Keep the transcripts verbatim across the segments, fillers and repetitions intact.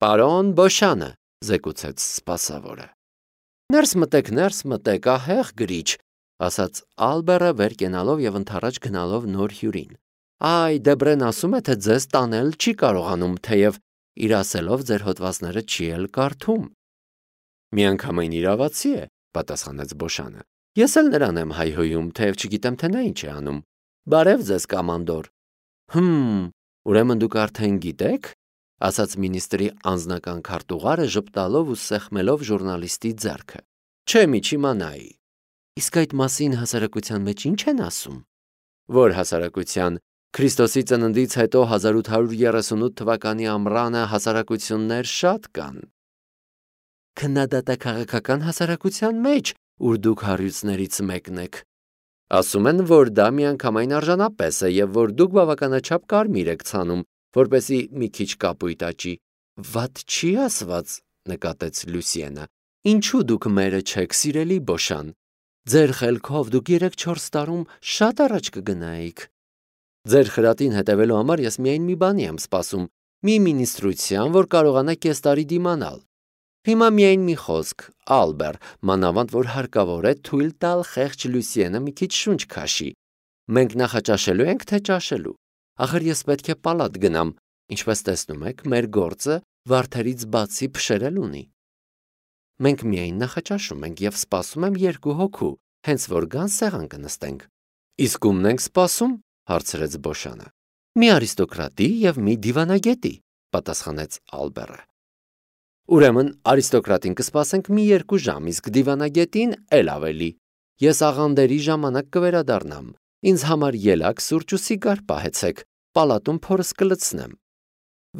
Պարոն Բոշանը, զեկուցեց սպասավորը։ Ներս մտեք, ներս մտեք, ահեղ գրիչ, ասաց Ալբերը վեր կենալով եւ ընդառաջ գնալով նոր հյուրին։ Այ Դեբրեն ասում է, թե ձեզ տանել չի կարողանում, թեև իր ասելով ձեր հոդվածները չի էլ կարդում։ Միանգամայն իրավացի է, պատասխանեց Բոշանը։ Ես էլ նրան եմ հայհոյում, թեև չգիտեմ, թե նա ինչ է անում։ Բարև ձեզ, կամանդոր։ Հմ, ուրեմն դուք արդեն գիտեք, ասաց մինիստրի անձնական քարտուղարը ժպտալով ու սեղմելով ժուրնալիստի ձեռքը։ Չէ, մի չիմանայի։ Իսկ այդ մասին հասարակության մեջ ինչ են ասում։ Որ հասարակության Քրիստոսի ծննդից հետո հազար ութ հարյուր երեսունութ թվականի ամռանը հասարակություններ շատ կան։ Քննադատաքաղաքական հասարակության մեջ, ուր դուք հարյուծներից մեկն եք։ Ասում են, որ դա միանգամայն արժանապես է եւ որ դուք բավականաչափ կարմիր եք ցանում, որպեսի մի քիչ կապույտ աճի։ Վատ չի ասված, նկատեց Լուսիենը։ Ինչու դուք մերը չեք, սիրելի Բոշան։ Ձեր խելքով դուք երեք-չորս տարում շատ առաջ կգնայիք։ Ձեր խրատին հետևելու համար ես միայն մի բանի եմ սպասում, մի մինիստրության, որ կարողանա կես տարի դիմանալ։ Հիմա միայն մի խոսք, Ալբեր, մանավանդ որ հարկավոր է թույլ տալ խեղճ Լուսիենը մի քիչ շունչ քաշի։ Մենք նախաճաշելու ենք, թե ճաշելու։ Ախր ես պետք է պալատ գնամ, ինչպես տեսնում եք, մեր գործը վարդերից բացի փշերել ունի։ Մենք միայն նախաճաշում ենք եւ սպասում եմ երկու հոգու, հենց որ գան սեղան կնստենք։ Իսկ ումն ենք սպասում, հարցրեց Բոշանը։ Մի արիստոկրատի եւ մի դիվանագետի, պատասխանեց Ալբերը։ Ուրեմն արիստոկրատին կսպասենք մի երկու ժամ, իսկ դիվանագետին էլ ավելի։ Ես աղանդերի ժամանակ կվերադառնամ։ Ինձ համար ելակ, սուրճ ու սիգար պահեցեք, պալատում փորս կլցնեմ։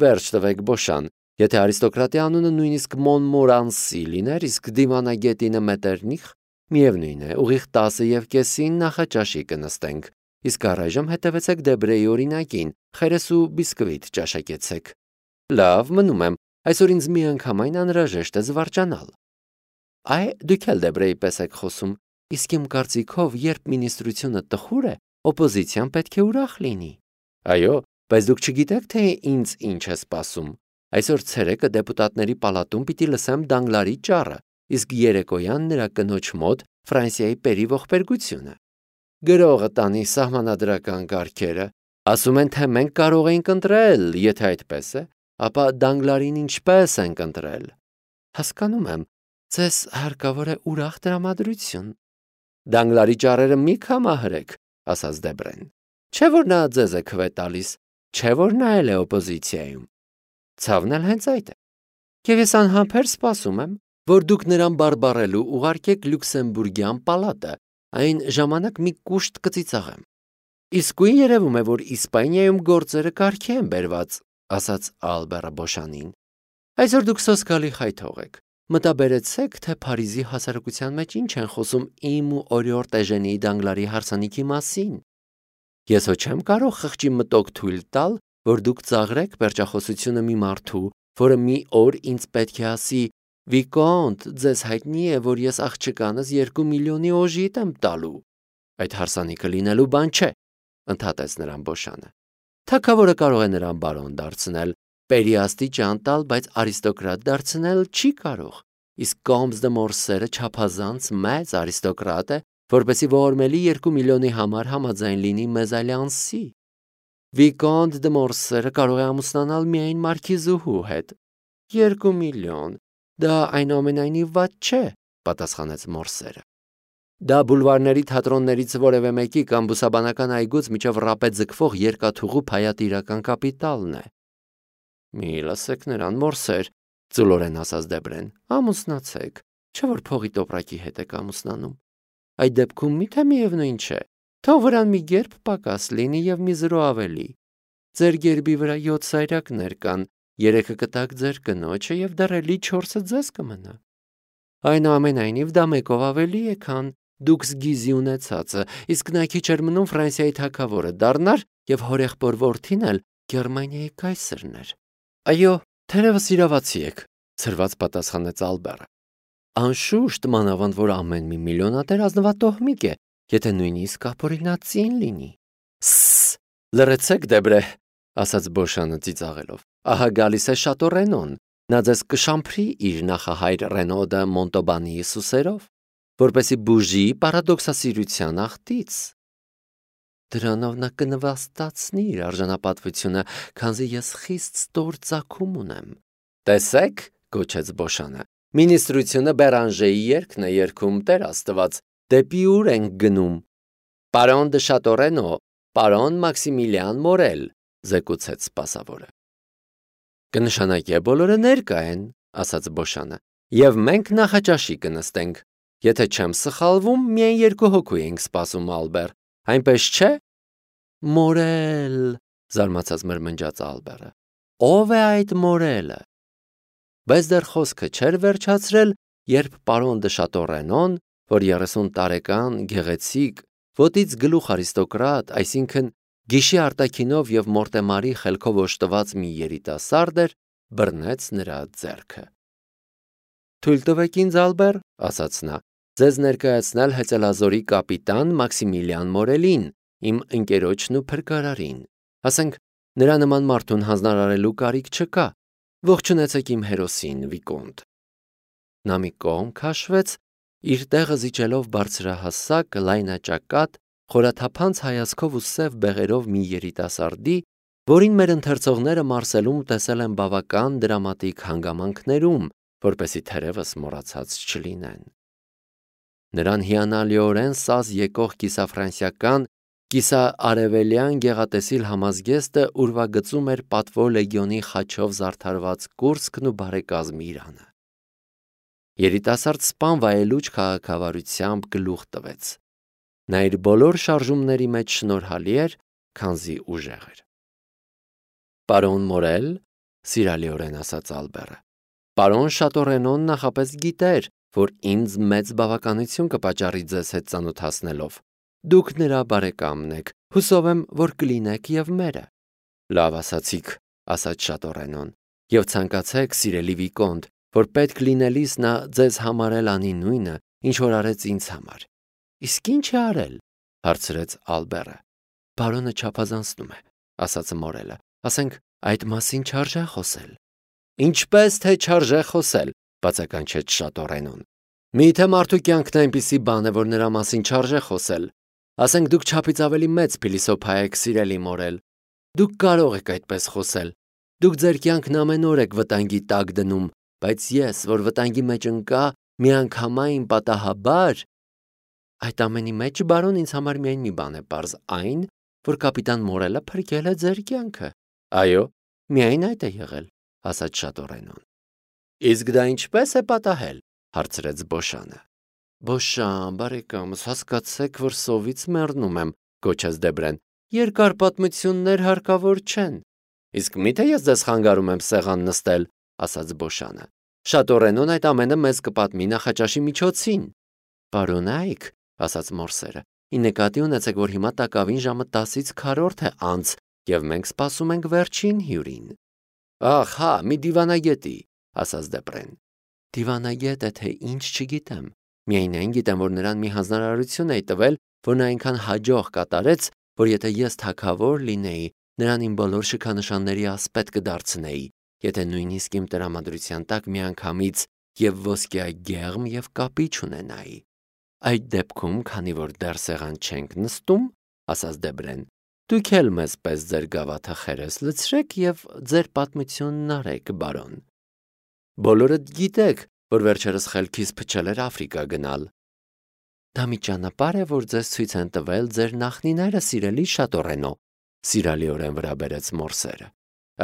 Վերջ տվեք, Բոշան, եթե արիստոկրատի անունը նույնիսկ Մոնմորանսի լիներ, իսկ դիվանագետինը Մետերնիխ, միևնույն է, ուղիղ տասը եւ կեսին նախաճաշի կնստենք, իսկ առայժմ հետևեցեք Դեբրեի օրինակին, խերես ու բիսկվիտ ճաշակեցեք։ Լավ, մնում եմ, այսօր ինձ միանգամայն անհրաժեշտ է զվարճանալ։ Այ դուք էլ Դեբրեի պես եք խոսում, իսկ իմ կարծիքով, երբ մինիստրությունը տխուր է, օպոզիցիան պետք է ուրախ լինի։ Այո, բայց դուք չգիտեք, թե ինձ ինչ է սպասում։ Այսօր ցերեկը դեպուտատների պալատում պիտի լսեմ Դանգլարի ճառը, իսկ երեկոյան նրա կնոջ մոտ Ֆրանսիայի պերի ողբերգությունը։ Գրողը տանի սահմանադրական կարգերը, ասում են, թե մենք կարող ենք ընտրել, եթե այդպես է, ապա Դանգլարին ինչպես ենք ընտրել։ Հասկանում եմ, ձեզ հարկավոր է ուրախ տրամադրություն։ Դանգլարի ճառերը մի կամահրեք, ասաց Դեբրեն։ Չէ որ նա ձեզ է քվե տալիս, չէ որ նա էլ է օպոզիցիայում։ Ցավն էլ հենց այդ է։ Եվ ես անհամբեր սպասում եմ, որ դուք նրան բարբառելու ուղարկեք Լյուքսեմբուրգյան պալատը, այն ժամանակ մի կուշտ կծիծաղեմ։ Իսկույն երևում է, որ Իսպանիայում գործերը կարգի են բերված, ասաց Ալբերը Բոշանին։ Այսօր դուք սոսկալի խայթող եք։ Մտաբերեցեք, թե Փարիզի հասարակության մեջ ինչ են խոսում իմ ու օրիորդ Էժենիի Դանգլարի հարսանիքի մասին։ Ես հո չեմ կարող խղճի մտոք թույլ տալ, որ դուք ծաղրեք պերճախոսությունը մի մարդու, որը մի օր ինձ պետք է ասի. Վիկոնտ, ձեզ հայտնի է, որ ես աղջկանս երկու միլիոնի օժիտ եմ տալու։ Այդ հարսանիքը լինելու բան չէ, ընդհատեց նրան Բոշանը։ Թագավորը կարող է նրան բարոն դարձնել, պերիաստիճան տալ, բայց արիստոկրատ դարձնել չի կարող։ Իսկ Կոմս դե Մորսերը չափազանց մեծ արիստոկրատ է, որպեսզի ողորմելի երկու միլիոնի համար համաձայն լինի մեզալյանսի։ Վիկոնտ դե Մորսերը կարող է ամուսնանալ միայն մարքիզուհու հետ։ Երկու միլիոն, դա այնուամենայնիվ վատ չէ, պատասխանեց Մորսերը։ Դա բուլվարների թատրոններից որևէ մեկի կամ բուսաբանական այգուց միջև ռապե ձգվող երկաթուղու փայատիրական կապիտալն է։ Մի լսեք նրան, Մորսեր, ծուլորեն ասաց Դեբրեն, ամուսնացեք, չէ որ փողի տոպրակի հետ եք ամուսնանում։ Այդ դեպքում միթե միևնույն չէ, թող վրան մի գերբ պակաս լինի եւ մի զրո ավելի։ Ձեր գերբի վրա յոթ սայրակներ կան, երեքը կտակ ձեր կնոջը եւ դեռ էլի չորսը ձեզ կմնա։ Այնուամենայնիվ դա մեկով ավելի է, քան դուք զգիզի ունեցածը, իսկ նա քիչ էր մնում Ֆրանսիայի թագավորը դառնար եւ հորեղբոր որդին էլ Գերմանիայի կայսրն էր։ Այո, թերևս իրավացի եք, ցրված պատասխանեց Ալբերը։ Անշուշտ, մանավանդ որ ամեն մի միլիոնատեր ազնվատոհմիկ է, եթե նույնիսկ ապօրինածին լինի։ Սս, լրացեք Դեբրե, ասաց Բոշանը ծիծաղելով։ Ահա գալիս է Շատո Ռենոն, Նա ձեզ կշամփրի իր նախահայր Ռենոդը Մոնտոբանիի սուսերով, որպեսի բուժի պարադոքսասիրության աղտից։ Դրանով նա կնվաստացնի իր արժանապատվությունը, քանզի ես խիստ ստոր ծագում ունեմ։ Տեսեք, գոչեց Բոշանը, մինիստրությունը Բերանժեի երգն է երգում, Տեր Աստված, դեպի ուր ենք գնում։ Պարոն դե Շատորենո, պարոն Մաքսիմիլիան Մորել, զեկուցեց սպասավորը։ Կնշանակե բոլորը ներկա են, ասաց Բոշանը, եւ մենք նախաճաշի կնստենք։ Եթե չեմ սխալվում, միայն երկու հոգու ենք սպասում, Ալբեր, այնպես չէ։ Մորել, զարմացած մրմնջաց Ալբերը։ Ո՞վ է այդ Մորելը։ Բայց դեռ խոսքը չէր վերջացրել, երբ պարոն դե Շատորենոն, որ երեսուն տարեկան, գեղեցիկ, ոտից գլուխ արիստոկրատ, այսինքն գիշի արտաքինով եւ մորտեմարի խելքով օժտված մի երիտասարդ էր, բռնեց նրա ձեռքը։ Թույլ տվեք ինձ, Ալբեր, ասաց նա, ձեզ ներկայացնել հեծելազորի կապիտան Մաքսիմիլիան Մորելին, իմ ընկերոջն ու փրկարարին։ Ասենք, նրա նման մարդուն հանձնարարելու կարիք չկա։ Ողջունեցեք իմ հերոսին, Վիկոնտ։ Նա մի կողմ քաշվեց, իր տեղը զիջելով բարձրահասակ, լայնաճակատ, խորաթափանց հայացքով ու սև բեղերով մի երիտասարդի, որին մեր ընթերցողները Մարսելում տեսել են բավական դրամատիկ հանգամանքներում, որպեսզի թերևս մոռացած չլինեն։ Նրան հիանալիորեն սազ եկող կիսաֆրանսիական, կիսաարևելյան գեղատեսիլ համազգեստը ուրվագծում էր պատվո լեգիոնի խաչով զարդարված կուրծքն ու բարեկազմի իրանը։ Երիտասարդ սպան վայելուչ քաղաքավարությամբ գլուխ տվեց։ Նա իր բոլոր շարժումների մեջ շնորհալի էր, քանզի ուժեղ էր։ Պարոն Մորել, սիրալիորեն ասաց Ալբերը, պարոն Շատորենոն նախապես գիտեր, որ ինձ մեծ բավականություն կպաճառի ձեզ հետ ծանոթացնելով։ Դուք նրա բարեկամն եք, հուսով եմ, որ կլինեք եւ մերը։ Լավ ասացիք, ասաց Շատորենոն, եւ ցանկացեք, սիրելի Վիկոնտ, որ պետք լինելիս նա ձեզ համարել անի նույնը, ինչ որ արեց ինձ համար։ Իսկ ինչ է արել, հարցրեց Ալբերը։ Բարոնը չափազանցնում է, ասաց Մորելը, ասենք այդ մասին չարժե խոսել։ Ինչպես թե չարժե խոսել, բացականչեց Շատորենոն։ Միթե մարդու կյանքն այնպիսի բան է, որ նրա մասին չարժե խոսել։ Ասենք դուք չափից ավելի մեծ փիլիսոփա եք, սիրելի Մորել։ Դուք կարող եք այդպես խոսել։ Դուք ձեր կյանքն ամեն օր եք վտանգի տակ դնում, բայց ես, որ վտանգի մեջ ընկա, միանգամայն պատահաբար… Այդ ամենի մեջ, բարոն, ինձ համար միայն մի բան է պարզ, այն, որ կապիտան Մորելը փրկել է ձեր կյանքը։ Այո, միայն այդ է եղել, ասաց Շատորենոն։ Իսկ դա ինչպես է պատահել, հարցրեց Բոշանը։ Բոշան, բարեկամս, հասկացեք, որ սովից մեռնում եմ, գոչեց Դեբրեն։ Երկար պատմություններ հարկավոր չեն։ Իսկ միթե ես ձեզ խանգարում եմ սեղան նստել, ասաց Բոշանը։ Շատորենոն այդ ամենը մեզ կպատմի նախաճաշի միջոցին։ Պարոն Այք, ասաց Մորսերը, ի նկատի ունեցեք, որ հիմա տակավին ժամը տասից քառորդ է անց, եւ մենք սպասում ենք վերջին հյուրին։ Ահ, հա, մի դիվանագետի, ասաց Դեբրեն։ Դիվանագետ է թե ինչ չգիտեմ։ Միայն այն գիտեմ, որ նրան մի հանձնարարություն էի տվել, որ նա այնքան հաջող կատարեց, որ եթե ես թագավոր լինեի, նրան իմ բոլոր շքանշանների ասպետ կդարձնեի, եթե նույնիսկ իմ տրամադրության տակ միանգամից եւ ոսկեագեղմ եւ կապիչ ունենայի։ Այդ դեպքում, քանի որ դեռ սեղան չենք նստում, ասաց Դեբրեն, դուք էլ մեզ պես ձեր գավաթը խերես լցրեք եւ ձեր պատմությունն արեք, բարոն։ Բոլորդ գիտեք, որ վերջերս խելքից փչել էր Աֆրիկա գնալ։ Դա մի ճանապարհ է, որ ձեզ ցույց են տվել ձեր նախնիները, սիրելի Շատորենո, սիրալիորեն վրա բերեց Մորսերը։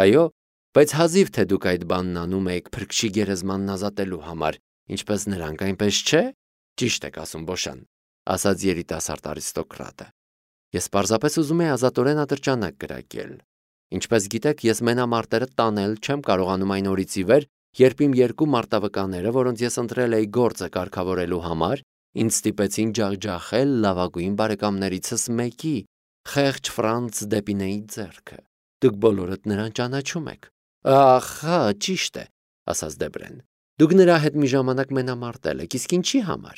Այո, բայց հազիվ թե դուք այդ բանն անում եք փրկչի գերեզմանն ազատելու համար, ինչպես նրանք, այնպես չէ։ Ճիշտ եք ասում, Բոշան, ասաց երիտասարդ արիստոկրատը։ Ես պարզապես ուզում եի ազատորեն ատրճանակ կրակել։ Ինչպես գիտեք, ես մենամարտերը տանել չեմ կարողանում այն օրից ի վեր, երբ իմ երկու մարտավկանները, որոնց ես ընտրել էի գործը կարգավորելու համար, ինձ ստիպեցին ջախջախել լավագույն բարեկամներիցս մեկի, խեղճ Ֆրանց Դեպինեի ձեռքը։ Դուք բոլորդ նրան ճանաչում եք։ Ահա, ճիշտ է, ասաց Դեբրեն։ Դուք նրա հետ մի ժամանակ մենամարտել եք, իսկ ինչի համար։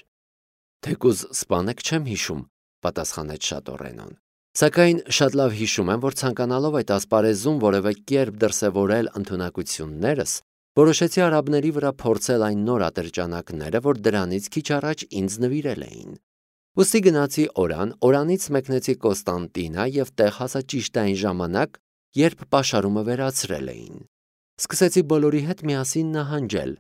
Թեկուզ սպանեք չեմ հիշում, պատասխանեց Շատորենոն։ Սակայն շատ լավ հիշում եմ, որ ցանկանալով այդ ասպարեզում որևէ կերպ դրսևորել ընդունակություններս, Որոշեցի արաբների վրա փորձել այն նոր ատրճանակները, որ դրանից քիչ առաջ ինձ նվիրել էին։ Ուստի գնացի Օրան, Օրանից մեկնեցի Կոստանտինա եւ տեղ հասա ճիշտ այն ժամանակ, երբ պաշարումը վերացրել էին։ Սկսեցի բոլորի հետ միասին նահանջել։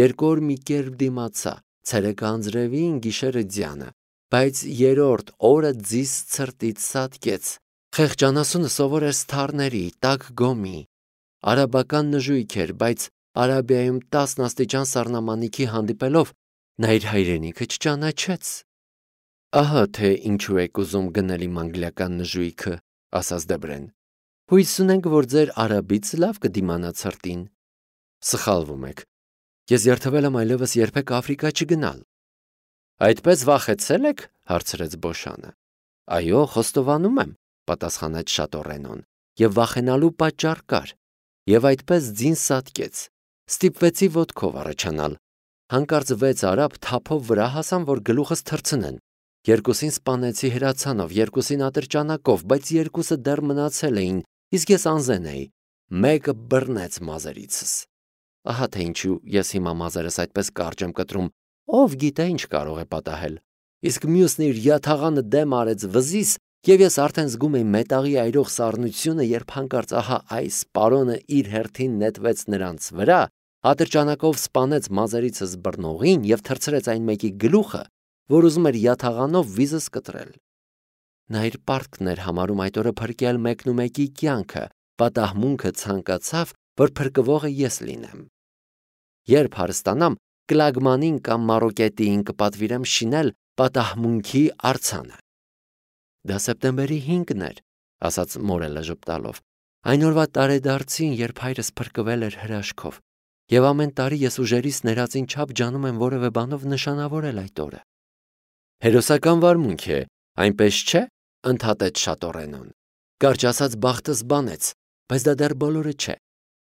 Երկու օր մի կերպ դիմացա, ցերեկը անձրևին, գիշերը ձյանը, բայց երրորդ օրը ձիս ցրտից սատկեց։ Խեղճանասունը սովոր էր սթարների, տաք գոմի։ Արաբական նժույգ էր, բայց Արաբիայում տասն աստիճան սառնամանիքի հանդիպելով նա իր հայրենիքը չճանաչեց։ Ահա թե ինչու եք ուզում գնել իմ անգլիական նժույգը, ասաց Դեբրեն։ Հույս ունենք, որ ձեր արաբից լավ կդիմանա ցրտին։ Սխալվում եք։ Ես երթվել եմ այլևս երբեք Աֆրիկա չգնալ։ Այդպես վախեցել եք, հարցրեց Բոշանը։ Այո, խոստովանում եմ, պատասխանեց Շատորենոն, եւ վախենալու պատճառ կար։ Եվ այդպես ձին սատկեց։ Ստիպվեցի ոտքով առաջանալ։ Հանկարծ վեց արաբ թափով վրա հասան, որ գլուխս թռցնեն։ Երկուսին սպանեցի հրացանով, երկուսին ատրճանակով, բայց երկուսը դեռ մնացել էին, իսկ ես անզեն էի։ Մեկը բռնեց մազերիցս։ Ահա թե ինչու ես հիմա մազերս այդպես կարճ եմ կտրում, ով գիտե ինչ կարող է պատահել։ Իսկ մյուսն իր յաթաղանը դեմ արեց վզիս, եւ ես արդեն զգում էի մետաղի այրող սառնությունը, երբ հանկարծ ահա այս պարոնը իր հերթին նետվեց նրանց վրա, ատրճանակով սպանեց մազերիցս բռնողին եւ թռցրեց այն մեկի գլուխը, որ ուզում էր յաթաղանով վիզս կտրել։ Նա իր պարտքն էր համարում այդ օրը փրկել մեկնումեկի կյանքը, պատահմունքը ցանկացավ, որ փրկվողը ես լինեմ։ Երբ հարստանամ, կլագմանին կամ մարոկետին կպատվիրեմ շինել պատահմունքի արձանը։ Դա սեպտեմբերի հինգն էր, ասաց Մորելը ժպտալով։ Այն օրվա տարեդարձին, երբ հայրս փրկվել էր հրաշքով, եւ ամեն տարի ես ուժերիս ներածին չափ ջանում եմ որևէ բանով նշանավորել այդ օրը։ Հերոսական վարմունք է, այնպես չէ, ընդհատեց Շատորենոն։ Կարճ ասած բախտս բանեց, բայց դա դեռ բոլորը չէ։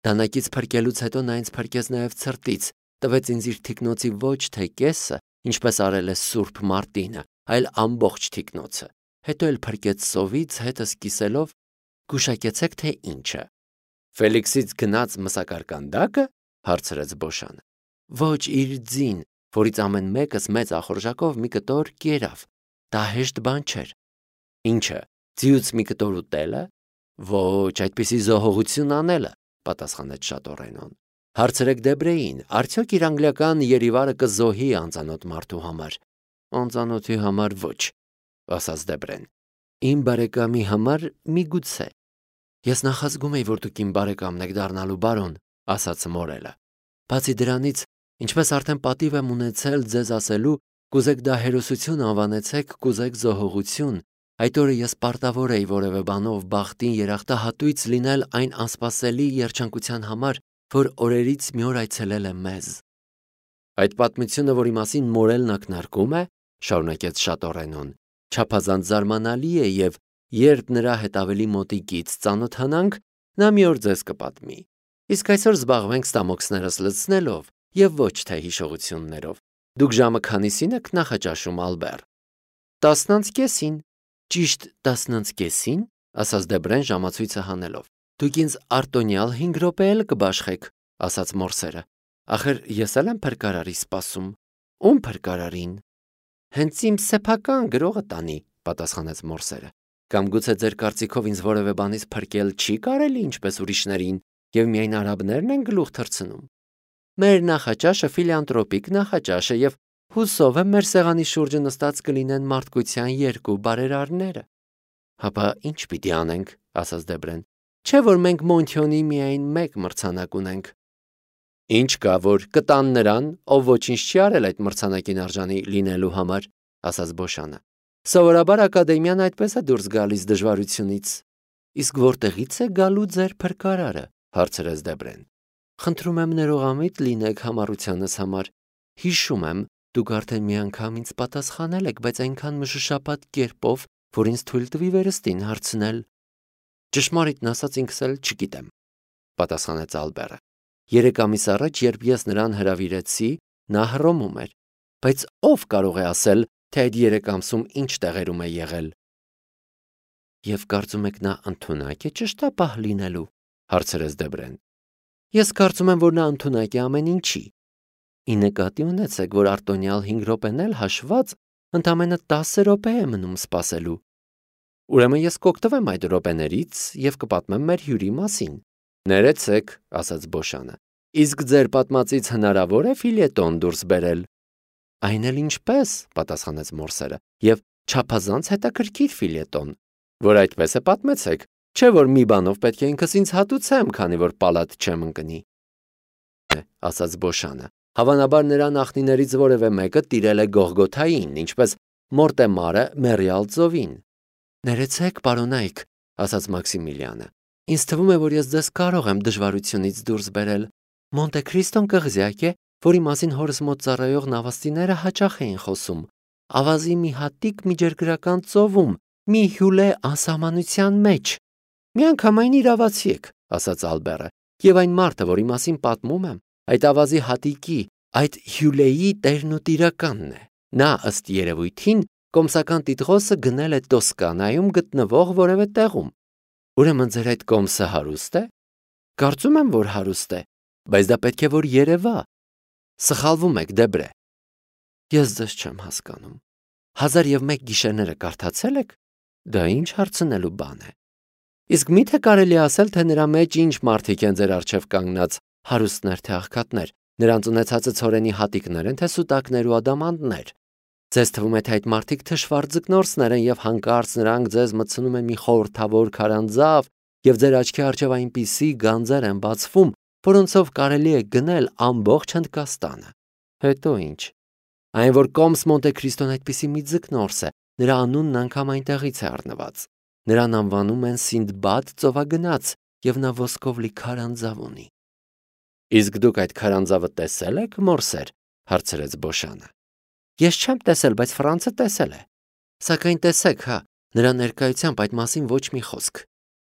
Դանակից փրկելուց հետո նա ինձ փրկեց նաև ցրտից, տվեց ինձ իր թիկնոցի ոչ թե կեսը, ինչպես արել է Սուրբ Մարտինը, այլ ամբողջ թիկնոցը։ Հետո էլ փրկեց սովից, հետս կիսելով, գուշակեցեք թե ինչը։ Ֆելիքսից գնաց մսակարկանդակը, հարցրեց Բոշանը։ Ոչ, իր ձին, որից ամեն մեկս մեծ ախորժակով մի կտոր կերավ։ Դա հեշտ բան չէր։ Ինչը, ձիուց մի կտոր ուտելը։ Ոչ, այդպիսի զոհողություն անելը, պատասխանեց Շատորենոն։ Հարցրեք Դեբրեին, արդյոք իր անգլիական երիվարը կզոհի անծանոթ մարդու համար։ Անծանոթի համար ոչ, ասաց Դեբրեն։ Իմ բարեկամի համար միգուցե։ Ես նախազգում էի, որ դուք իմ բարեկամն եք դառնալու, բարոն, ասաց Մորելը։ Բացի դրանից, ինչպես արդեն պատիվ եմ ունեցել ձեզ ասելու, կուզեք դա հերոսություն անվանեցեք, կուզեք զոհողություն, այդ օրը ես պարտավոր էի որևէ բանով բախտին երախտահատույց լինել այն անսպասելի երջանկության համար, որ օրերից մի օր այցելել է մեզ։ Այդ պատմությունը, որի մասին Մորելն ակնարկում է, շարունակեց Շատորենոն, չափազանց զարմանալի է եւ երբ նրա հետ ավելի մոտիկից ծանոթանանք, նա մի օր ձեզ կպատմի։ Իսկ այսօր զբաղվենք ստամոքսներս լցնելով եւ ոչ թե հիշողություններով։ Դուք ժամը քանիսին եք նախաճաշում, Ալբեր։ Տասնանց կեսին։ Ճիշտ տասնանց կեսին, ասաց Դեբրեն ժամացույցը հանելով։ Դուք ինձ արտոնյալ հինգ րոպե էլ կբաշխեք, ասաց Մորսերը։ Ախր ես էլ եմ փրկարարի սպասում։ Ում փրկարարին։ Հենց իմ սեփական գրողը տանի, պատասխանեց Մորսերը։ Կամ գուցե ձեր կարծիքով ինձ որևէ բանից փրկել չի կարելի, ինչպես ուրիշներին, եւ միայն արաբներն են գլուխ թռցնում։ Մեր նախաճաշը ֆիլանտրոպիկ նախաճաշ է եւ հուսով եմ մեր սեղանի շուրջը նստած կլինեն մարդկության երկու բարերարները։ Հապա ինչ պիտի անենք, ասաց Դեբրեն։ Չէ՞ որ մենք Մոնթյոնի միայն մեկ մրցանակ ունենք։ Ինչ կա, որ կտան նրան, ով ոչինչ չի արել այդ մրցանակին արժանի լինելու համար, ասաց Բոշանը։ Սովորաբար ակադեմիան այդպես է դուրս գալիս դժվարությունից։ Իսկ որտեղից է գալու ձեր փրկարարը, հարցրեց Դեբրեն։ Խնդրում եմ ներողամիտ լինեք համառությանս համար։ Հիշում եմ, դուք արդեն մի անգամ ինձ պատասխանել եք, բայց այնքան մշուշապատ կերպով, որ ինձ թույլ տվի վերստին հարցնել։ Ճշմարիտն ասած ինքս էլ չգիտեմ, պատասխանեց Ալբերը։ Երեք ամիս առաջ, երբ ես նրան հրավիրեցի, նա հռոմում էր, բայց ով կարող է ասել, թե այդ երեք ամսում ինչ տեղերում է եղել։ Եվ կարծում եք նա ընդունակ է ճշտապահ լինելու, հարցրեց Դեբրեն։ Ես կարծում եմ, որ նա ընդունակ է ամեն ինչի։ Ի նկատի ունեցեք, որ արտոնյալ հինգ րոպեն էլ հաշված ընդամենը տասը րոպե է մնում սպասելու։ Ուրեմն ես կօգտվեմ այդ րոպեներից եւ կպատմեմ մեր հյուրի մասին։ Ներեցեք, ասաց Բոշանը։ Իսկ ձեր պատմածից հնարավոր է ֆիլետոն դուրս բերել։ Այն էլ ինչպես, պատասխանեց Մորսերը, եւ չափազանց հետաքրքիր ֆիլետոն, որ այդպես է պատմեցեք, չէ՞ որ մի բանով պետք է ինքս ինձ հատուցեմ, քանի որ պալատ չեմ ընկնի։ Ասաց Բոշանը։ Հավանաբար նրա նախնիներից որևէ մեկը տիրել է Գողգոթային, ինչպես Մորտեմարը Մերիալ ծովին։ Ներեցեք, պարոնայք, ասաց Մաքսիմիլիանը։ Ինձ թվում է, որ ես ձեզ կարող եմ դժվարությունից դուրս բերել։ Մոնտե Քրիստոն կղզյակ է, որի մասին հորս մոտ ծառայող նավաստիները հաճախ էին խոսում։ Ավազի մի հատիկ միջերգրական ծովում, մի հյուլե անսահմանության մեջ։ Միանգամայն իրավացի եք, ասաց Ալբերը, եւ այն մարդը, որի մասին պատմում եմ, այդ ավազի հատիկի, այդ հյուլեի տերն ու տիրականն է։ Նա ըստ երևույթին կոմսական տիտղոսը գնել է Տոսկանայում գտնվող որևէ տեղում։ Ուրեմն ձեր այդ կոմսը հարուստ է։ Կարծում եմ, որ հարուստ է, բայց դա պետք է որ երևա։ Սխալվում եք, Դեբրե։ Ես ձեզ չեմ հասկանում։ Հազար եւ մեկ գիշերները կարդացել եք։ Դա ինչ հարցնելու բան է։ Իսկ միթե կարելի ասել, թե նրա մեջ ինչ մարդիկ են ձեր առջև կանգնած, հարուստներ թե աղքատներ, նրանց ունեցածը ցորենի հատիկներ են, թե սուտակներ ու ադամանդներ։ Ձեզ թվում է, թե այդ մարդիկ թշվառ ձկնորսներ են եւ հանկարծ նրանք ձեզ մտցնում են մի խորհրդավոր քարանձավ եւ ձեր աչքի առջև այնպիսի գանձեր են բացվում, որոնցով կարելի է գնել ամբողջ Հնդկաստանը։ Հետո ինչ։ Այն որ Կոմս Մոնտե Քրիստոն այդպիսի մի ձկնորս է, նրա անունն անգամ այնտեղից է առնված։ Նրան անվանում են Սինդբադ ծովագնաց եւ նա ոսկով լի քարանձավ ունի։ Իսկ դուք այդ քարանձավը տեսել եք, Մորսեր, հարցրեց Բոշանը։ Ես չեմ տեսել, բայց Ֆրանցը տեսել է։ Սակայն տեսեք, հա, նրա ներկայությամբ այդ մասին ոչ մի խոսք։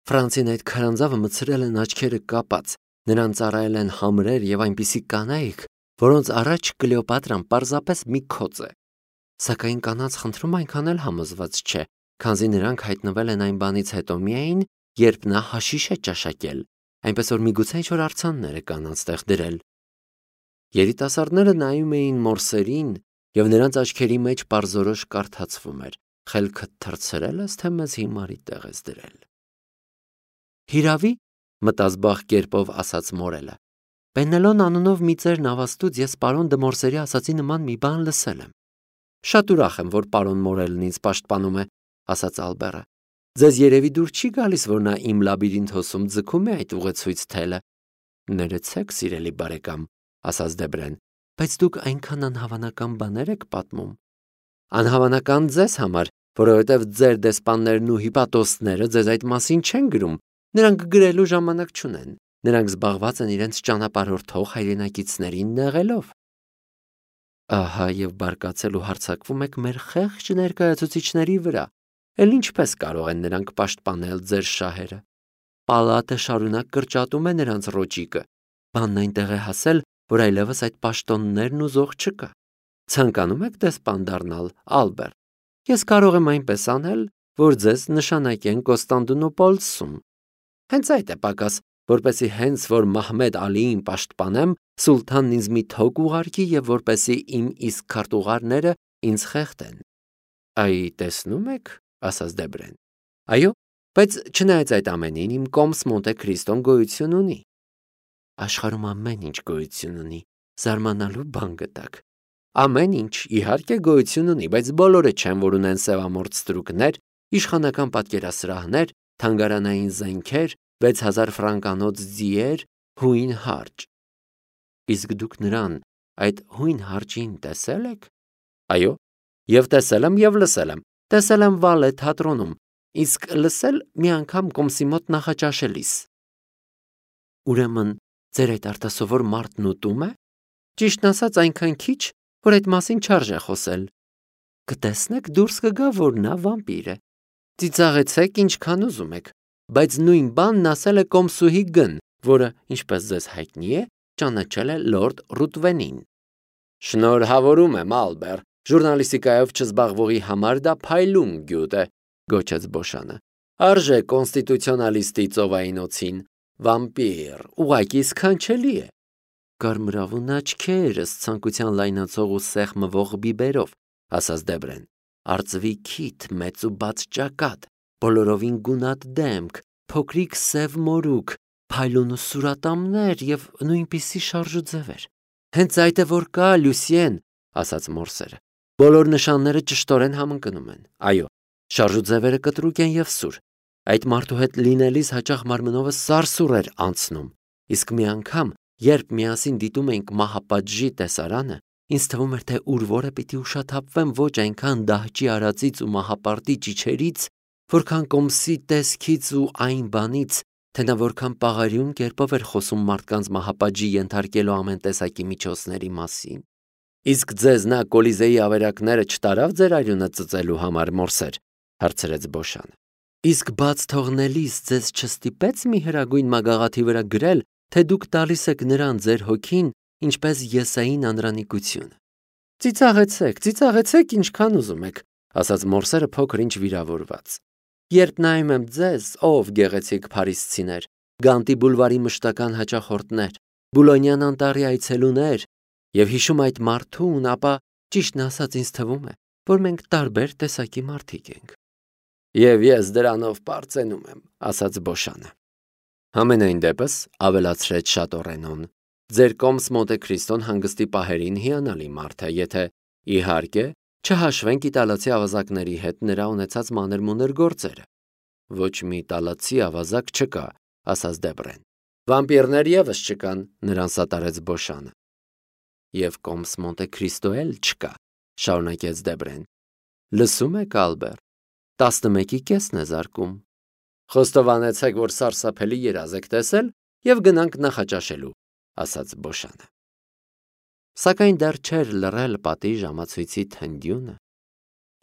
Ֆրանցին այդ քարանձավը մցրել են աչքերը կապած, նրան ծառայել են համրեր եւ այնպիսի կանայք, որոնց առաջ Կլեոպատրան պարզապես մի քոծ է։ Սակայն կանանց խնդրում այնքան էլ համոզված չէ, քանզի նրանք հայտնվել են այն բանից հետո միայն, երբ նա հաշիշ է ճաշակել, այնպես որ միգուցե ինչ-որ արձաններ է կանանց տեղ դրել։ Երիտասարդները նայում էին Մորսերին, եւ նրանց աչքերի մեջ պարզորոշ կարդացվում էր. «Խելքդ թռցրել ես, թե մեզ հիմարի տեղ ես դրել»։ Հիրավի, մտազբաղ կերպով ասաց Մորելը, Պենելոն անունով մի ծեր նավաստուց ես պարոն դը Մորսերի ասացի նման մի բան լսել եմ։ Շատ ուրախ եմ, որ պարոն Մորելն ինձ պաշտպանում է, ասաց Ալբերը։ Ձեզ երևի դուր չի գալիս, որ նա իմ լաբիրինթոսում ձգում է այդ ուղեցույց թելը։ Ներեցեք, սիրելի բարեկամ, ասաց Դեբրեն, բայց դուք այնքան անհավանական բաներ եք պատմում։ Անհավանական ձեզ համար, որովհետև ձեր դեսպաններն ու հիպատոսները ձեզ այդ մասին չեն գրում, նրանք գրելու ժամանակ չունեն, նրանք զբաղված են իրենց ճանապարհորդող հայրենակիցներին նեղելով։ Ահա եւ բարկացել ու հարձակվում եք մեր խեղճ ներկայացուցիչների վրա, էլ ինչպես կարող են նրանք պաշտպանել ձեր շահերը։ Պալատը շարունակ կրճատում է նրանց ռոճիկը, բանն այնտեղ է հասել, որ այլևս այդ պաշտոններն ուզող չկա։ Ցանկանում եք դեսպան դառնալ, Ալբեր։ Ես կարող եմ այնպես անել, որ ձեզ նշանակեն Կոստանդնուպոլսում։ Հենց այդ է պակաս, որպեսի հենց որ Մահմեդ Ալիին պաշտպանեմ, սուլթանն ինձ մի թոկ ուղարկի եւ որպեսի իմ իսկ քարտուղարները ինձ խեղդեն։ Այ տեսնում եք, ասաց Դեբրեն։ Այո, բայց չնայած այդ ամենին, իմ Կոմս Մոնտե Քրիստոն գոյություն ունի։ Աշխարհում ամեն ինչ գոյություն ունի, զարմանալու բան գտակ։ Ամեն ինչ իհարկե գոյություն ունի, բայց բոլորը չեն, որ ունեն սևամորթ ստրուկներ, իշխանական պատկերասրահներ, թանգարանային զենքեր, վեց հազար ֆրանկանոց ձիեր, հույն հարճ։ Իսկ դուք նրան այդ հույն հարճին տեսել եք։ Այո, եւ տեսել եմ եւ լսել եմ։ Տեսել եմ Վալե թատրոնում, իսկ լսել մի անգամ Կոմսի մոտ նախաճաշելիս։ Ուրեմն ձեր այդ արտասովոր մարդն ուտում է։ Ճիշտն ասած այնքան քիչ, որ այդ մասին չարժե խոսել։ Կտեսնեք դուրս կգա, որ նա վամպիր է։ Ծիծաղեցեք ինչքան ուզում եք, բայց նույն բանն ասել է Կոմսուհի Գն, որը, ինչպես ձեզ հայտնի է, ճանաչել է լորդ Ռուտվենին։ Շնորհավորում եմ, Ալբեր, ժուրնալիստիկայով չզբաղվողի համար դա փայլուն գյուտ է, գոչեց Բոշանը։ Արժե կոնստիտուցիոնալիստի ծովային օծին։ Վամպիր, ուղղակի սքանչելի է։ Կարմրավուն աչքերս ցանկության լայնացող ու սեղմվող բիբերով, ասաց Դեբրեն, արծվի քիթ, մեծ ու բաց ճակատ, բոլորովին գունատ դեմք, փոքրիկ սև մորուք, փայլուն ու սուրատամներ եւ նույնպիսի շարժուձևեր։ Հենց այդ է որ կա, Լյուսիեն, ասաց Մորսերը։ Բոլոր նշանները ճշտորեն համընկնում են։ Այո, շարժուձևերը կտրուկ են եւ սուր։ Այդ մարդու հետ լինելիս հաճախ մարմնովս սարսուռ էր անցնում, իսկ մի անգամ, երբ միասին դիտում էինք մահապատժի տեսարանը, ինձ թվում էր, թե ուր որը պիտի ուշաթափվեմ ոչ այնքան դահճի արածից ու մահապարտի ճիչերից, որքան կոմսի տեսքից ու այն բանից, թե նա որքան պաղարյուն կերպով էր խոսում մարդկանց մահապատժի ենթարկելու ամեն տեսակի միջոցների մասին։ Իսկ ձեզ նա Կոլիզեի ավերակները չտարավ ձեր արյունը ծծելու համար, Մորսեր, հարցրեց Բոշանը։ Իսկ բաց թողնելիս ձեզ չստիպեց մի հրագույն մագաղաթի վրա գրել, թե դուք տալիս եք նրան ձեր հոգին, ինչպես Եսային անրանիկությունը։ Ծիծաղեցեք, ծիծաղեցեք ինչքան ուզում եք, ասաց Մորսերը փոքր ինչ վիրավորված։ Երբ նայում եմ ձեզ, ով գեղեցիկ փարիսցիներ, Գանտի բուլվարի մշտական հաճախորդներ, Բուլոնյան անտառի այցելուներ, եւ հիշում այդ մարդուն, ապա ճիշտն ասած ինձ թվում է, որ մենք տարբեր տեսակի մարդիկ ենք։ Եվ ես դրանով պարծենում եմ, ասաց Բոշանը։ Համենայն դեպս, ավելացրեց Շատորենոն, ձեր կոմս Մոնտե Քրիստոն հանգստի պահերին հիանալի մարդ է, եթե իհարկե չհաշվենք իտալացի ավազակների հետ նրա ունեցած մանր-մունր գործերը։ Ոչ մի իտալացի ավազակ չկա, ասաց Դեբրեն։ Վամպիրներ եւս չկան, նրան սատարեց Բոշանը։ Եվ կոմս Մոնտե Քրիստո էլ չկա, շարունակեց Դեբրեն։ Լսում եք, Ալբեր, տասնմեկի կեսն է զարկում։ Խոստովանեցեք, որ սարսափելի երազ եք տեսել եւ գնանք նախաճաշելու, ասաց Բոշանը։ Սակայն դեռ չէր լռել պատի ժամացույցի թնդյունը,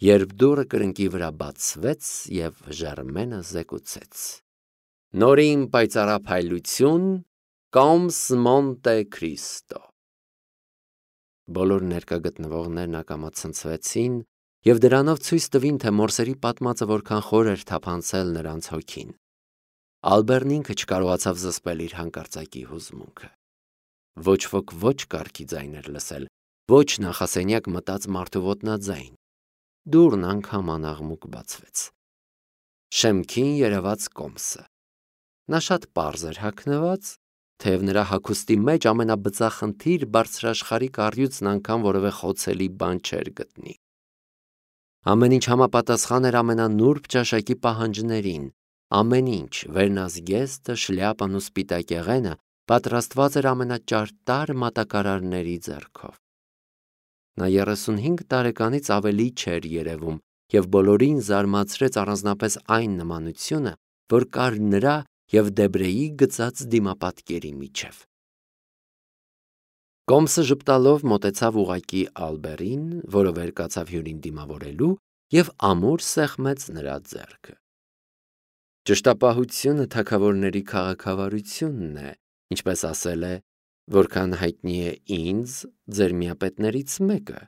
երբ դուռը կրնկի վրա բացվեց եւ Ժերմենը զեկուցեց. Նորին պայծառափայլություն, կոմս Մոնտե Քրիստո։ Բոլոր ներկա գտնվողներն ակամացնցվեցին եւ դրանով ցույց տվին, թե Մորսերի պատմածը որքան խոր էր թափանցել նրանց հոգին։ Ալբերն ինքը չկարողացավ զսպել իր հանկարծակի հուզմունքը։ Ոչ ոք ոչ կարգի ձայն էր լսել, ոչ նախասենյակ մտած մարդու ոտնաձայն։ Դուռն անգամ անաղմուկ բացվեց։ Շեմքին երևաց կոմսը։ Նա շատ պարզ էր հագնված, թեև նրա հագուստի մեջ ամենաբծախնդիր բարձրաշխարհիկ առյուծն անգամ որևէ խոցելի բան չէր գտնի։ Ամեն ինչ համապատասխան էր ամենանուրբ ճաշակի պահանջներին, ամեն ինչ, վերնազգեստը, շլյապան ու սպիտակեղենը պատրաստված էր ամենաճարտար մատակարարների ձեռքով։ Նա երեսունհինգ տարեկանից ավելի չէր երևում եւ բոլորին զարմացրեց առանձնապես այն նմանությունը, որ կար նրա եւ Դեբրեի գծած դիմապատկերի միջև։ Կոմսը ժպտալով մոտեցավ ուղակի Ալբերին, որը վեր կացավ հյուրին դիմավորելու եւ ամուր սեղմեց նրա ձեռքը։ Ճշտապահությունը թագավորների քաղաքավարությունն է, ինչպես ասել է, որքան հայտնի է ինձ, ձեր միապետներից մեկը,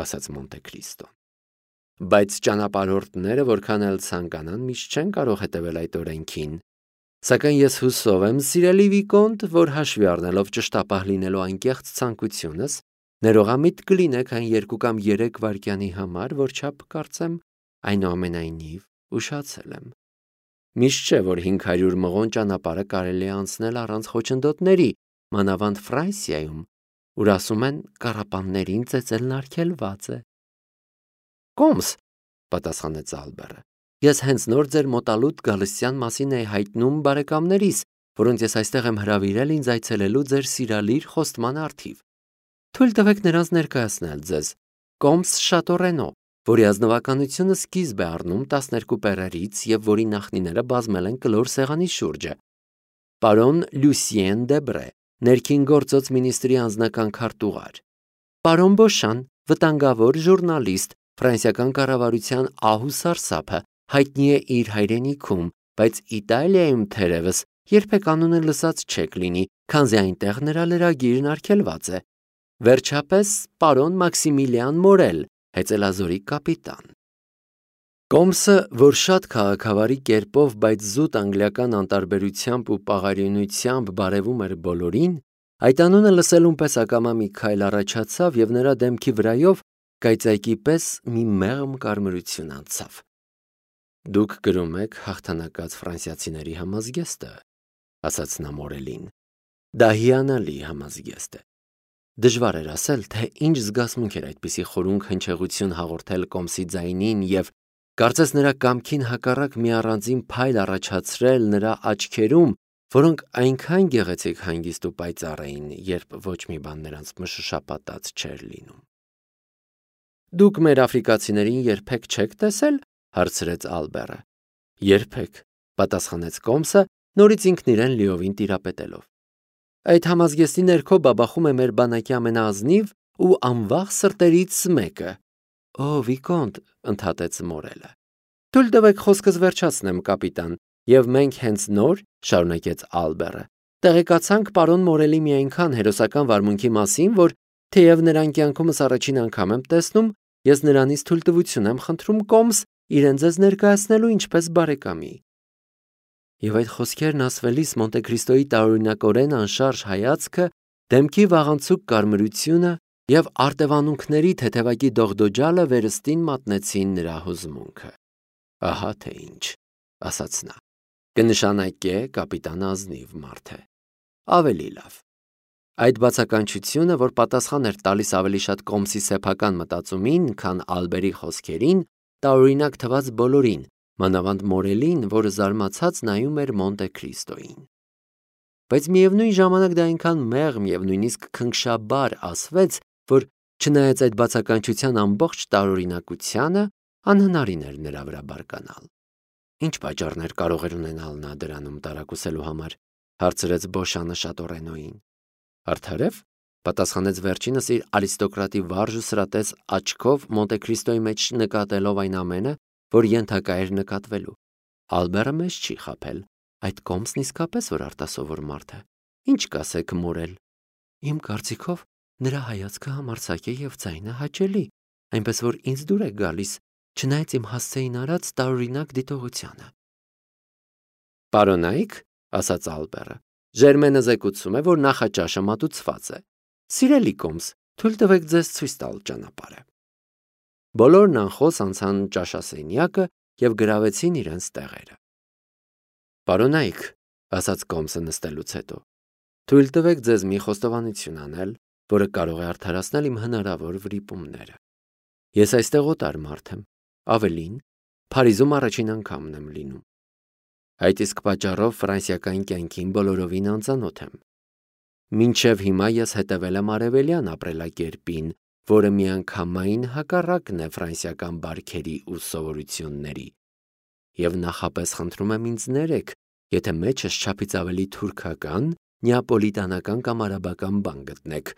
ասաց Մոնտե Քրիստոն։ Բայց ճանապարհորդները, որքան էլ ցանկանան, միշտ չեն կարող հետևել այդ օրենքին։ Սակայն ես հուսով եմ, սիրելի Վիկոնտ, որ հաշվի առնելով ճշտապահ լինելու անկեղծ ցանկությունս, ներողամիտ կլինեք այն երկու կամ երեք վայրկյանի համար, որ չափ կարծեմ, այնուամենայնիվ ուշացել եմ։ Միշտ չէ, որ հինգ հարյուր մղոն ճանապարհը կարելի է անցնել առանց խոչընդոտների, մանավանդ Ֆրանսիայում, ուր ասում են կառապաններին ծեծելն արգելված է։ Կոմս, պատասխանեց Ալբերը, ես հենց նոր ձեր մոտալուտ գալստյան մասին էի հայտնում բարեկամներիս, որոնց ես այստեղ եմ հրավիրել ինձ այցելելու ձեր սիրալիր խոստման առթիվ։ Թույլ տվեք նրանց ներկայացնել ձեզ, Կոմս Շատորենո, որի ազնվականությունը սկիզբ է առնում տասներկու պերերից եւ որի նախնիները բազմել են կլոր սեղանի շուրջը։ Պարոն Լյուսիեն Դեբրե, ներքին գործոց մինիստրի անձնական քարտուղար։ Պարոն Բոշան, վտանգավոր ժուրնալիստ, ֆրանսիական կառավարության ահ ու սարսափը, հայտնի է իր հայրենիքում, բայց Իտալիայում թերևս երբեք անունը լսած չեք լինի, քանզի այնտեղ նրա լրագիրն արգելված է։ Վերջապես, պարոն Մաքսիմիլիան Մորել, հեծելազորի կապիտան։ Կոմսը, որ շատ քաղաքավարի կերպով, բայց զուտ անգլիական անտարբերությամբ ու պաղարյունությամբ բարևում էր բոլորին, այդ անունը լսելուն պես ակամա մի քայլ առաջացավ և նրա դեմքի վրայով կայծայկի պես մի մեղմ կարմրություն անցավ։ «Դուք գրում եք հաղթանակած ֆրանսիացիների համազգեստը», ասաց նա Մորելին։ «Դա հիանալի համազգեստ է»։ Դժվար էր ասել, թե ինչ զգացմունք էր այդպիսի խորունկ հնչեղություն հաղորդել Կոմսի ձայնին և կարծես նրա կամքին հակառակ մի առանձին փայլ առաջացրել նրա աչքերում, որոնք այնքան գեղեցիկ հանգիստ ու պայծառ էին, երբ ոչ մի բան նրանց մշշապատած չէր լինում։ «Դուք մեր աֆրիկացիներին երբեք չեք տեսել», հարցրեց Ալբերը։ «Երբեք», պատասխանեց Կոմսը, նորից ինքն իրեն լիովին տիրապետելով։ «Այդ համազգեստի ներքո բաբախում է մեր բանակի ամենաազնիվ ու անվաղ սրտերից մեկը»։ «Օ, Վիկոնտ», ընդհատեց Մորելը։ «Թույլ տվեք խոսքս վերջացնեմ, կապիտան, և մենք հենց նոր, շարունակեց Ալբերը, տեղեկացանք պարոն Մորելի մի այնքան հերոսական վարմունքի մասին, որ թեև նրան կյանքումս առաջին անգամ եմ տեսնում, ես նրանից թույլտվություն եմ խնդրում Կոմս իրեն ձեզ ներկայացնելու ինչպես բարեկամի»։ Եվ այդ խոսքերն ասվելիս Մոնտե Քրիստոյի տարօրինակորեն անշարժ հայացքը, դեմքի վաղանցուկ կարմրությունը և արտևանունքների թեթևակի դողդոջալը վերստին մատնեցին նրա հուզմունքը։ «Ահա թե ինչ», ասաց նա, «կնշանակե կապիտանը ազնիվ մարդ է։ Ավելի լավ»։ Այդ բացականչությունը, որ պատասխան էր տալիս ավելի շատ Կոմսի սեփական մտածումին, քան Ալբերի խոսքերին, տարօրինակ թվաց բոլորին, մանավանդ Մորելին, որը զարմացած նայում էր Մոնտե Քրիստոյին։ Բայց միևնույն ժամանակ դա այնքան մեղմ և նույնիսկ քնքշաբար ասվեց, որ չնայած այդ բացականչության ամբողջ տարօրինակությանը, անհնարին էր նրա վրա բարկանալ։ «Ինչ պատճառներ կարող էր ունենալ նա դրանում տարակուսելու համար», հարցրեց Բոշանը շատորենոյին։ «Արդարև», պատասխանեց վերջինս իր արիստոկրատի վարժ ու սրատես աչքով Մոնտե Քրիստոյի մեջ նկատելով այն ամենը, որ ենթակա էր նկատվելու։ «Ալբերը մեզ չի խաբել, այդ Կոմսն իսկապես որ արտասովոր մարդ է։ Ինչ կասեք, Մորել»։ «Իմ կարծիքով նրա հայացքը համարձակ է և ձայնը հաճելի, այնպես որ ինձ դուր է գալիս, չնայած իմ հասցեին արած տարօրինակ դիտողությանը»։ «Պարոնայք», ասաց Ալբերը, «Ժերմենը զեկուցում է, որ նախաճաշը մատուցված է։ Սիրելի Կոմս, թույլ տվեք ձեզ ցույց տալ ճանապարհը»։ Բոլորն անխոս անցան ճաշասենյակը և գրավեցին իրենց տեղերը։ «Պարոնայք», ասաց Կոմսը նստելուց հետո, «թույլ տվեք ձեզ մի խոստովանություն անել, որը կարող է արդարացնել իմ հնարավոր վրիպումները։ Ես այստեղ օտար մարդ եմ, ավելին, Փարիզում առաջին անգամն եմ լինում։ Այդ իսկ պատճառով ֆրանսիական կյանքին բոլորովին անծանոթ եմ։ Մինչև հիմա ես հետևել եմ արևելյան ապրելակերպին, որը միանգամայն հակառակն է ֆրանսիական բարքերի ու սովորությունների, և նախապես խնդրում եմ ինձ ներեք, եթե մեջս չափից ավելի թուրքական, նեապոլիտանական կամ արաբական բան գտնեք։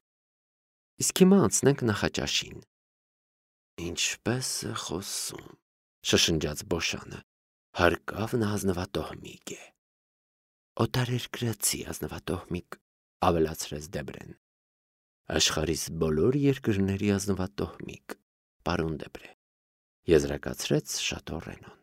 Իսկ հիմա անցնենք նախաճաշին։ «Ինչպես է խոսում», շշնջաց Բոշանը, «հարկավ նա ազնվատոհմիկ է»։ «Օտարերկրացի ազնվատոհմիկ», ավելացրեց Դեբրեն։ «Աշխարհիս բոլոր երկրների ազնվատոհմիկ, պարոն Դեբրե», եզրակացրեց Շատո Ռենոն։